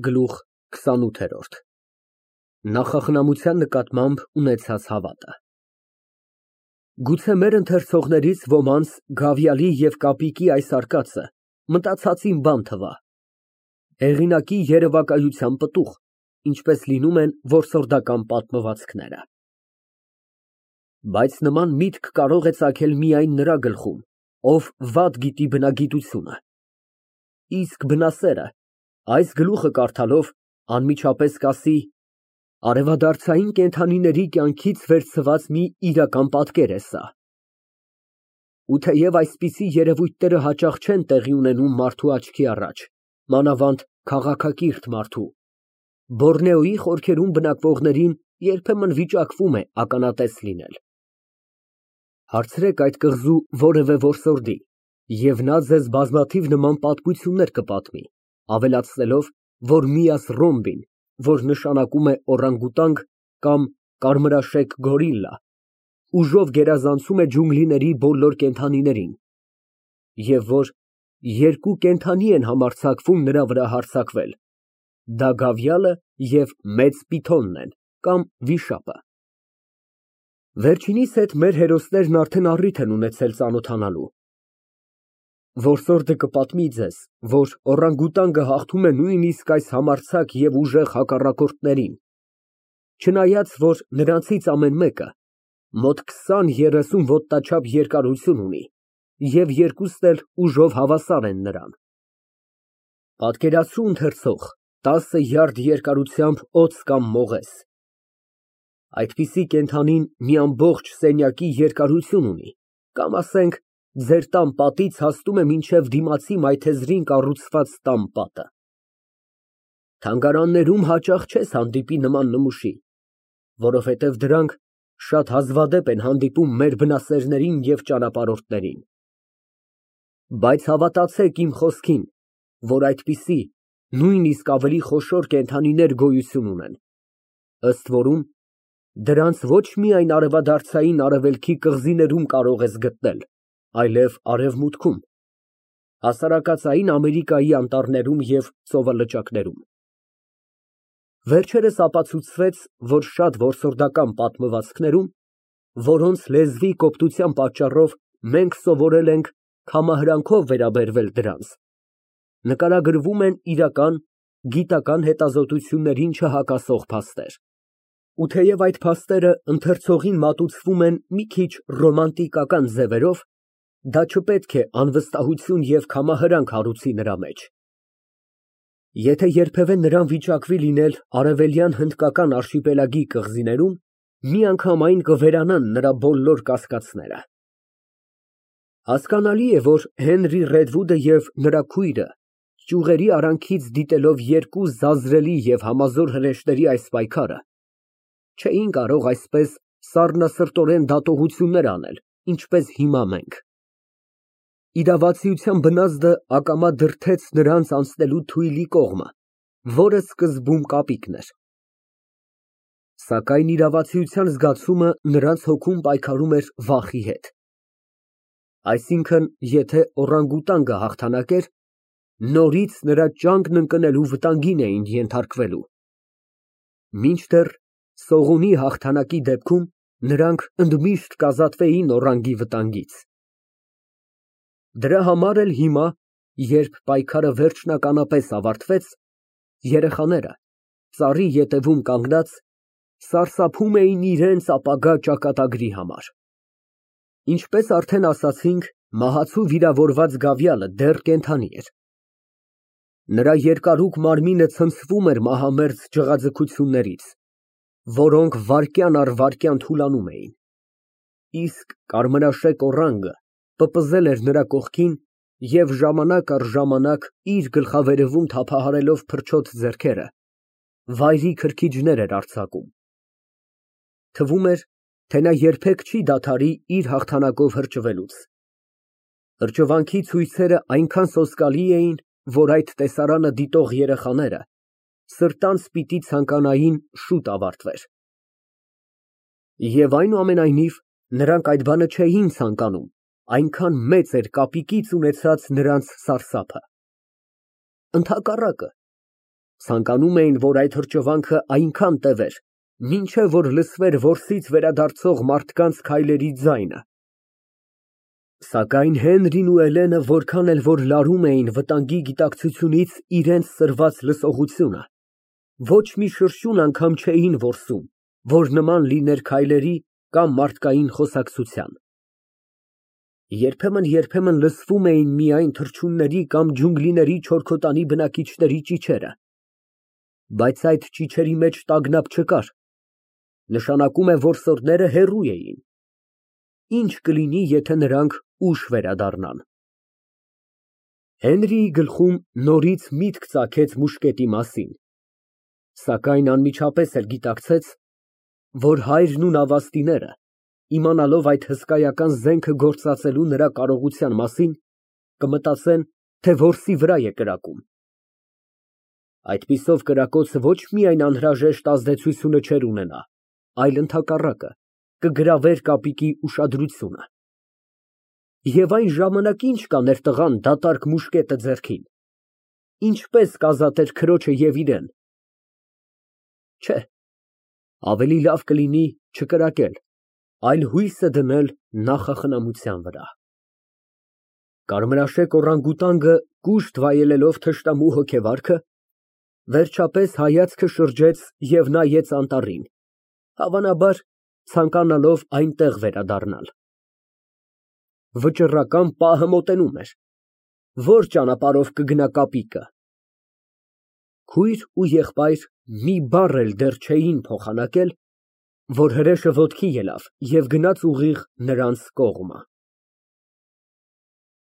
Գլուխ քսանութ Նախախնամության նկատմամբ ունեցած հավատը Գուցե մեր ընթերցողներից ոմանց Գավիալի և Կապիկի այս արկածը մտածածին բան թվա, հեղինակի երևակայության պտուղ, ինչպես լինում են որսորդական պատմվածքները։ Բայց նման միտք կարող է ծագել միայն նրա գլխում, ով վատ գիտի բնագիտությունը, իսկ բնասերը այս գլուխը կարդալով անմիջապես կասի. արևադարձային կենդանիների կյանքից վերցված մի իրական պատկեր է սա։ Ու թեև այսպիսի երևույթները հաճախ չեն տեղի ունենում մարդու աչքի առաջ, մանավանդ քաղաքակիրթ մարդու, Բորնեոյի խորքերում բնակվողներին երբեմն վիճակվում է ականատես լինել։ Հարցրեք այդ կղզու որևէ որսորդի, և նա ձեզ բազմաթիվ նման պատմություններ կպատմի, ավելացնելով, որ Միաս ռոմբին, որ նշանակում է օրանգուտանգ կամ կարմրաշեկ գորիլլա, ուժով գերազանցում է ջունգլիների բոլոր կենդանիներին, և որ երկու կենդանի են համարձակվում նրա վրա հարձակվել, դա գավիալը և մեծ պիթոնն են կամ վիշապը։ Վերջինիս հետ մեր հերոսներն արդեն առիթ են ունեցել ծանոթանալու։ Որսորդը կպատմի ձեզ, որ օրանգուտանգը հաղթում է նույնիսկ այս համարձակ և ուժեղ հակառակորդներին, չնայած որ նրանցից ամեն մեկը մոտ 20-30 ոտնաչափ երկարություն ունի և երկուսն էլ ուժով հավասար են նրան։ Պատկերացրու, ընթերցող, 10 յարդ երկարությամբ օձ կամ մողես։ Այդպիսի կենդանին մի ամբողջ սենյակի երկարություն ունի, կամ ասենք, ձեր տան պատից հասնում է մինչև դիմացի մայթեզրին կառուցված տան պատը։ Թանգարաններում հաճախ չես հանդիպի նման նմուշի, որովհետև դրանք շատ հազվադեպ են հանդիպում մեր բնասերներին և ճանապարհորդներին։ Բայց հավատացեք իմ խոսքին, որ այդպիսի, նույնիսկ ավելի խոշոր կենդանիներ գոյություն ունեն, ըստ որում դրանց ոչ միայն արևադարձային արևելքի կղզիներում կարող ես գտնել, այլև արևմուտքում, հասարակածային Ամերիկայի անտառներում և ծովալճակներում։ Վերջերս ապացուցվեց, որ շատ որսորդական պատմվածքներում, որոնց լեզվի կոպտության պատճառով մենք սովորել ենք քամահրանքով վերաբերվել դրանց, նկարագրվում են իրական, գիտական հետազոտություններին չհակասող փաստեր։ Ու թեև այդ փաստերը ընթերցողին մատուցվում են մի քիչ ռոմանտիկական ձևերով, դա չպետք է անվստահություն և քամահրանք հարուցի նրա մեջ։ Եթե երբևէ նրան վիճակվի լինել արևելյան հնդկական արշիպելագի կղզիներում, միանգամայն կվերանան նրա բոլոր կասկածները։ Հասկանալի է, որ Հենրի Ռեդվուդը և նրա քույրը, ճյուղերի արանքից դիտելով երկու զազրելի և համազոր հրեշների այս պայքարը, չէին կարող այսպես սառնասրտորեն դատողություններ անել, ինչպես հիմա մենք։ Իրավացիության բնազդը ակամա դրդեց նրանց անցնելու թույլի կողմը, որը սկզբում Կապիկն էր։ Սակայն իրավացիության զգացումը նրանց հոգում պայքարում էր վախի հետ։ Այսինքն, եթե օրանգուտանգը հաղթանակեր, նորից նրա ճանկն ընկնելու վտանգին էին ենթարկվելու, մինչդեռ Սողունի հաղթանակի դեպքում նրանք ընդմիշտ կազատվեին օրանգի վտանգից։ Դրա համար էլ հիմա, երբ պայքարը վերջնականապես ավարտվեց, երեխաները, ծառի ետևում կանգնած, սարսափում էին իրենց ապագա ճակատագրի համար։ Ինչպես արդեն ասացինք, մահացու վիրավորված գավիալը դեռ կենդանի էր։ Նրա երկարուկ մարմինը ցնցվում էր մահամերձ ջղաձգություններից, որոնք վայրկյան առ վայրկյան թուլանում էին, իսկ կարմրաշեկ օրանգը պպզել էր նրա կողքին և ժամանակ առ ժամանակ իր գլխավերևում թափահարելով փրչոտ ձեռքերը, վայրի քրքիջներ էր արձակում։ Թվում էր, թե նա երբեք չի դադարի իր հաղթանակով հրճվելուց։ Հրճվանքի ցույցերը այնքան սոսկալի էին, որ այդ տեսարանը դիտող երեխաները սրտանց պիտի ցանկանային շուտ ավարտվեր։ Եվ այնուամենայնիվ, նրանք այդ բանը չէին ցանկանում, այնքան մեծ էր Կապիկից ունեցած նրանց սարսափը։ Ընդհակառակը, Ցանկանում էին, որ այդ հրճվանքը այնքան տևեր, մինչև որ լսվեր որսից վերադարձող մարդկանց քայլերի ձայնը։ Սակայն Հենրին ու Էլենը որքան էլ որ լարում էին վտանգի գիտակցությունից իրենց սրված լսողությունը, ոչ մի շրշյուն անգամ չէին որսում, որ նման լիներ քայլերի կամ մարդկային խոսակցության։ Երբեմն լսվում էին միայն թռչունների կամ ջունգլիների չորքոտանի բնակիչների ճիչերը, բայց այդ ճիչերի մեջ տագնապ չկար, նշանակում է որսորդները հեռու էին։ Ինչ կլինի, եթե նրանք ուշ վերադառնան։ Հենրիի գլխում նորից միտք ծագեց մուշկետի մասին, սակայն անմիջապես էլ գիտակցեց, որ հայրն ու նավաստիները, իմանալով այդ հսկայական զենքը գործածելու նրա կարողության մասին, կմտածեն, թե որսի վրա է կրակում։ Այդպիսով կրակոցը ոչ միայն անհրաժեշտ ազդեցությունը չէր ունենա, այլ ընդհակառակը, կգրավեր կապիկի ուշադրությունը։ Եվ այն ժամանակ ինչ կաներ տղան դատարկ մուշկետը ձեռքին, ինչպես կազատեր քրոջը և իրեն։ Չէ, ավելի լավ կլինի չկրակել, այլ հույսը դնել նախախնամության վրա։ Կարմրաշեկ օրանգուտանգը կուշտ վայելելով թշնամու հոգեվարքը, վերջապես հայացքը շրջեց և նայեց անտառին, հավանաբար ցանկանալով այնտեղ վերադառնալ։ Վճռական պահը մոտենում էր։ Ո՞ր ճանապարհով կգնա կապիկը։ Քույր ու եղբայր մի բառ էլ դեռ չէին փոխանակել, որ հրեշը ոտքի ելավ և գնաց ուղիղ նրանց կողմը։